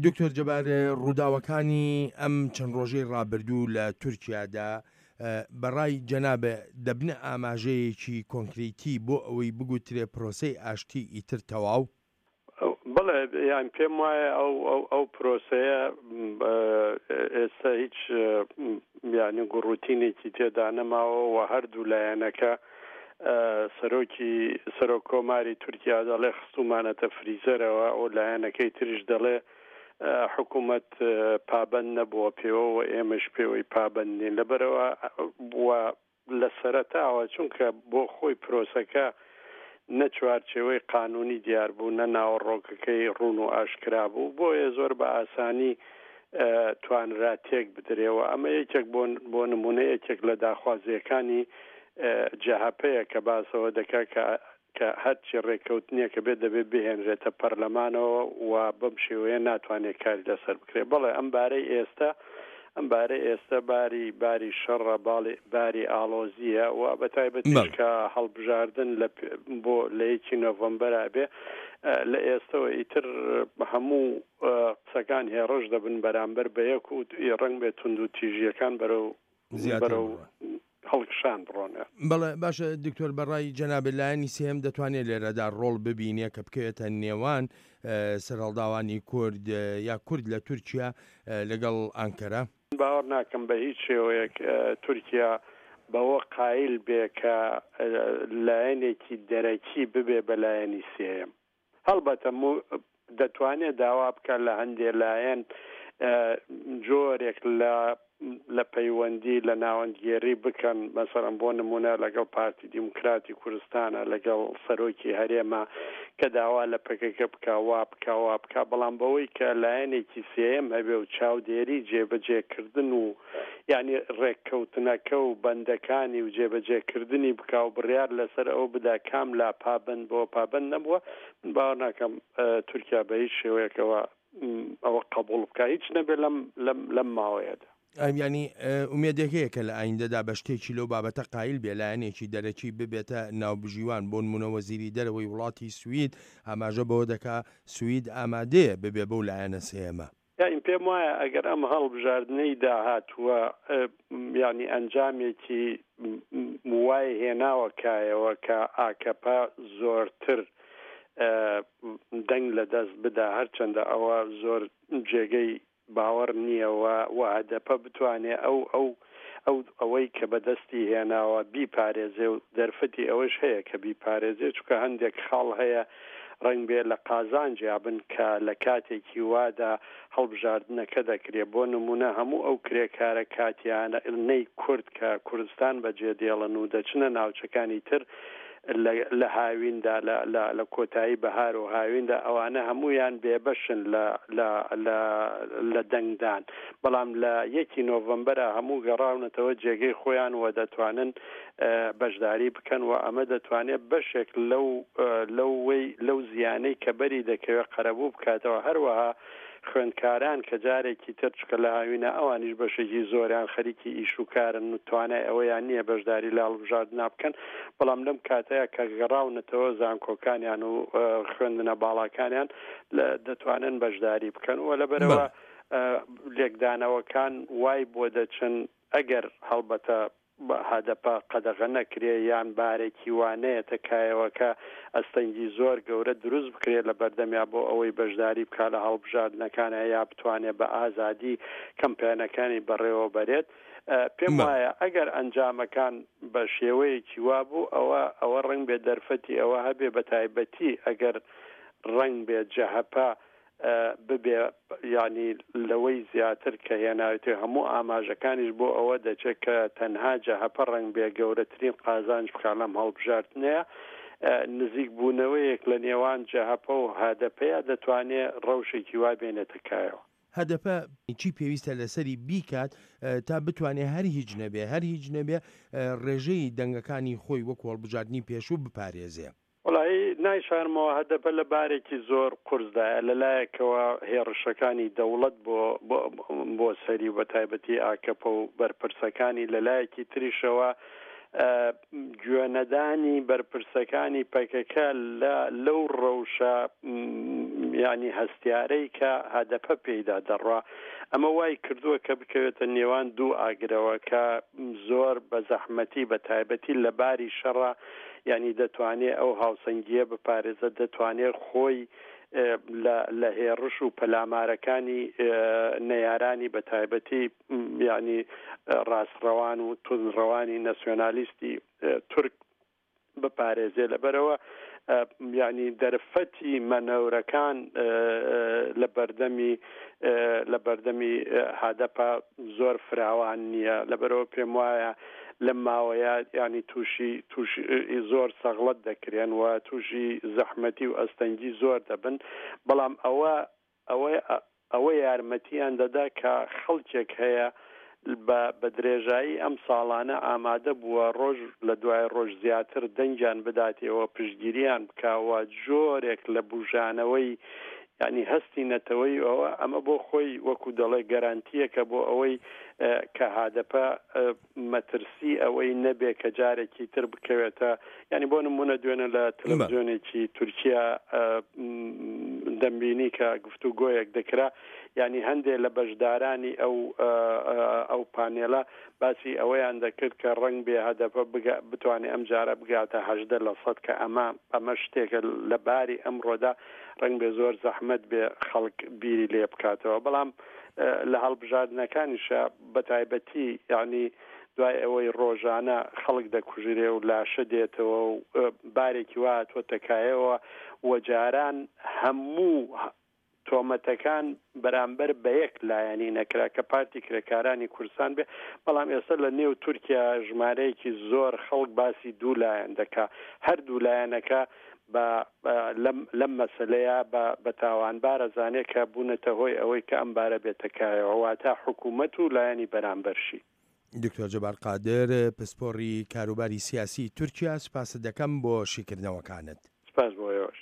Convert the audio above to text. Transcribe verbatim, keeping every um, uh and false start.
دکتۆر جەبار، ڕووداوەکانی ئەم چەند ڕۆژەی ڕابردوو لە تورکیادا بەڕای جەنابت دەبنە ئاماژەیەکی کۆنکریتی بۆ ئەوەی بگوترێ پرۆسەی ئاشتی ئیتر تەواو؟ بەڵێ، یان پێم وایە ئەو ئەو ئەو پرۆسەیە ئێستا هیچ یعنی گوڕوتینێکی تێدا نەماوە و هەردوو لایەنەکە، سەرۆکی سەرۆک کۆماری تورکیا دەڵێ خستومانەتە فریزەرەوە، ئەو لایەنەکەی تریش دەڵێ حکوومەت پابند نەبووە پێوە و ئێمەش پێوەی پابند نین. لەبەرەوە لە سەرەتاوە، چونکە بۆ خۆی پرۆسەکە نە چوارچێوەی قانونی دیار بوو، نە ناوەڕۆکەکەی ڕوون و ئاشکرا بوو، بۆیە زۆر بە ئاسانی توانرا تێک بدرێەوە. ئەمە یەکێک بۆ نمونە یەکێک لە داخوازیەکانی جەهەپەیە کە باسەوە دەکات کە کە هەرچی ڕێککەوتنیە کە بێت دەبێت بهێنرێتە پەرلەمانەوە و بەم شێوەیە ناتوانێت کاری لەسەر بکرێت. بەڵێ، ئەم بارەی ئێستا ئەم بارەی ئێستا باری باری شەڕە، باری ئاڵۆزیە و بە تایبەتیش کە هەڵبژاردن لە بۆ لە یەکی نۆڤەمبەر بێ، لە ئێستەوە ئیتر هەموو قسەکان هێڕش دەبن بەرامبەر بە یەک و ڕەنگ بێت توند و تیژیەکان بەرەو بەرەو هەڵکشان بڕۆنە. بەڵێ، باشە دکتۆر، بەڕای جەنابت لایەنی سێم دەتوانێت لێرەدا ڕۆڵ ببینێ کە بکەوێتە نێوان سەرهەڵداوانی کورد یا کورد لە تورکیا لەگەڵ ئانکەرە؟ باوەڕ ناکەم بە هیچ شێوەیەک تورکیا بەوە قایل بێ کە لایەنێکی دەرەکی ببێ بە لایەنی سێیەم. هەڵبەتە دەتوانێت داوا بکە لە هەندێ لایەن جۆرێک لە لە پەیوەندی لە ناوەندگێری بکەن، مەسەڵەن بۆ نمونە لەگەڵ پارتی دیموکراتی کوردستانە، لەگەڵ سەرۆکی هەرێمە کە داوا لە پەکەکە بکا وا بکا وا بکا، بەڵام بەوەی کە لایەنێکی سێیەم هەبێ و چاودێری جێبەجێکردن و یعنی ڕێککەوتنەکە و بەندەکانی و جێبەجێکردنی بکا و بڕیار لەسەر ئەو بدا کام لا پابند بۆ پابند نەبووە، من باوەڕ ناکەم تورکیا بە هیچ شێوەیەکەوە ئەوە قبوڵ بکە، هیچ نەبێ لەم لەم لەم ماوەیەدا. ینی ئومێدێک هەیە کە لە ئایندەدا بە شتێکی لەو بابەتە قایل بێ لایەنێکی دەرەکی ببێتە ناوبژیوان؟ بۆ نمونە وەزیری دەرەوەی وڵاتی سوید ئاماژە بەوە دەکا سوید ئامادەیە ببێ بەو لایەنە سێیەمە. یانی پێم وایە ئەگەر ئەم هەڵبژاردنەی داهاتووە یعنی ئەنجامێکی وای هێناوە کایەوە کە ئاکەپە زۆرتر دەنگ لە دەست بدا، هەرچەندە ئەوە زۆر جێگەی باوەڕ نییە و هەدەپە بتوانێ ئەو ئەو ئەو ئەوەی کە بەدەستی هێناوە بیپارێزێ و دەرفەتی ئەوەش هەیە کە بیپارێزێ، چونکە هەندێک خاڵ هەیە ڕەنگ بێ لە قازانجیا بن کە لە کاتێکی وادا هەڵبژاردنەکە دەکرێت. بۆ نمونە هەموو ئەو کرێکارە کاتیانە نەی کورد کە کوردستان بەجێ دێڵن و دەچنە ناوچەکانی تر لە هاویندا، لە کۆتایی بەهار و هاویندا، ئەوانە هەمویان بێبەشن لە دەنگدان، بەڵام لە یەکی نۆڤەمبەرە هەموو گەڕاونەتەوە جێگەی خۆیان و دەتوانن بەشداری بکەن و ئەمە دەتوانێت بەشێک لەو لەوەی لەو زیانەی کە بەری دەکەوێت قەرەبوو بکاتەوە. هەروەها خوێندکاران کە جارێکی تر چکە لە هاوینە ئەوانیش بەشێکی زۆریان خەریکی ئیش و کارن و توانای ئەوەیان نییە بەشداری لە هەڵبژاردنا بکەن، بەڵام لەم کاتەیە کە گەڕاونەتەوە زانکۆکانیان و خوێندنە باڵاکانیان دەتوانن بەشداری بکەن و لەبەرەوە لێکدانەوەکان وای بۆ دەچن ئەگەر هەڵبەتە هەدەپە قەدەغە نەکرێ یان بارێکی وانەیەتە کایەوە کە ئەستەنگی زۆر گەورە دروست بکرێت لە بەردەمیا بۆ ئەوەی بەشداری بکا لە هەڵبژاردنەکانە یا بتوانێت بە ئازادی کەمپیانەکانی بەڕێوە بەرێت. پێم وایە ئەگەر ئەنجامەکان بە شێوەیەکی وا بوو ئەوە ئەوە ڕەنگ بێ دەرفەتی ئەوە هەبێ، بە تایبەتی ئەگەر ڕەنگ بێ جەهەپە ببێ ینی لەوەی زیاتر کە هێناوێتی، هەموو ئاماژەکانیش بۆ ئەوە دەچێت کە تەنها جەهەپە ڕەنگ بێ گەورەترین قازانج بکا لەم هەڵبژاردنەیە. نزیک بوونەوەیەک لە نێوان جەهەپە و هەدەپەیە دەتوانێت ڕەوشێکی وا بێنێتە کایەوە. هەدەپە چی پێویستە لەسەری بیکات تا بتوانێت هەر هیچ نەبێ هەر هیچ نەبێ ڕێژەی دەنگەکانی خۆی وەکو هەڵبژاردنی پێشوو بپارێزێ؟ وەڵی نایشارمەوە هەدەپە لە بارێکی زۆر قورسدایە. لەلایەکەوە هێڕشەکانی دەوڵەت بۆ بۆ سەری و بە تایبەتی ئاکەپە و بەرپرسەکانی، لەلایەکی تریشەوە گوێنەدانی بەرپرسەکانی پەکەکە لەو ڕەوشە یعنی هەستیارەی کە هەدەپە پێیدا دەڕوا. ئەمە وای کردووە کە بکەوێتە نێوان دوو ئاگرەوە کە زۆر بە زەحمەتی بە تایبەتی لە باری شەڕە، یعنی دەتوانێت ئەو هاوسەنگیە بپارێزە، دەتوانێت خۆی لە هێڕش و پەلامارەکانی نەیارانی بە تایبەتی یعنی ڕاستڕەوان و توندڕەوانی ناسیۆنالیستی تورک بپارێزێ. لەبەرەوە یعنی دەرفەتی مەنەورەکان لە بەردەمی لە بەردەمی هەدەپە زۆر فراوان نییە. لەبەرەوە پێم وایە لەم ماوەیە یعنی تووشی تووشی زۆر سەغڵەت دەکرێن و تووشی زەحمەتی و ئەستەنگی زۆر دەبن، بەڵام ئەوە ئەوە ئەوە یارمەتیان دەدا کە خەڵکێک هەیە بە درێژایی ئەم ساڵانە ئامادە بووە ڕۆژ لە دوای ڕۆژ زیاتر دەنگیان بداتەوە، پشتگیریان بکاوە، جۆرێک لە بژانەوەی یعنی هەستی نەتەوەی ئەوە ئەمە بۆ خۆی وەکو دەڵێ گەرانتیەکە بۆ ئەوەی کە هەدەپە مەترسی ئەوەی نەبێ کە جارێکی تر بکەوێتە. یعنی بۆ نمونە دوێنە لە تەلەڤیزیۆنێکی تورکیا دەمبینی کە گفتوگۆیەک دەکرا، یعنی هەندێک لە بەشدارانی ئەو ئەو پانێلە باسی ئەوەیان دەکرد کە ڕەنگ بێ هەدەپە بتوانێت ئەم جارە بگاتە هەژدە لە سەد، کە ئەمە ئەمە شتێکە لە باری ئەمڕۆدا ڕەنگ بێ زۆر زەحمەت بێ خەڵک بیری لێ بکاتەوە. بەڵام لە هەڵبژاردنەکانیشە بە تایبەتی یعنی دوای ئەوەی ڕۆژانە خەڵک دەکوژرێ و لاشە دێتەوە و بارێکی وا هاتووەتە و جاران هەموو تۆمەتەکان بەرامبەر بە یەک لایەنی نەکرا کە پارتی کرێکارانی کوردستان بێ، بەڵام ئێستا لە نێو تورکیا ژمارەیەکی زۆر خەڵک باسی دوو لایەن دەکا، هەر دوو لایەنەکە لەم مەسلەیە بە تاوانبارە زانێت کە بوونەتە هۆی ئەوەی کە ئەم بارە بێتەکایەوە، واتە حکوومەت و لایەنی بەرامبەرشی. دکتۆر جەبار قادر، پسپۆڕی کاروباری سیاسی تورکیا، سپاست دەکەم بۆ شیکردنەوەکانت. سپاس بۆ ئێوەش.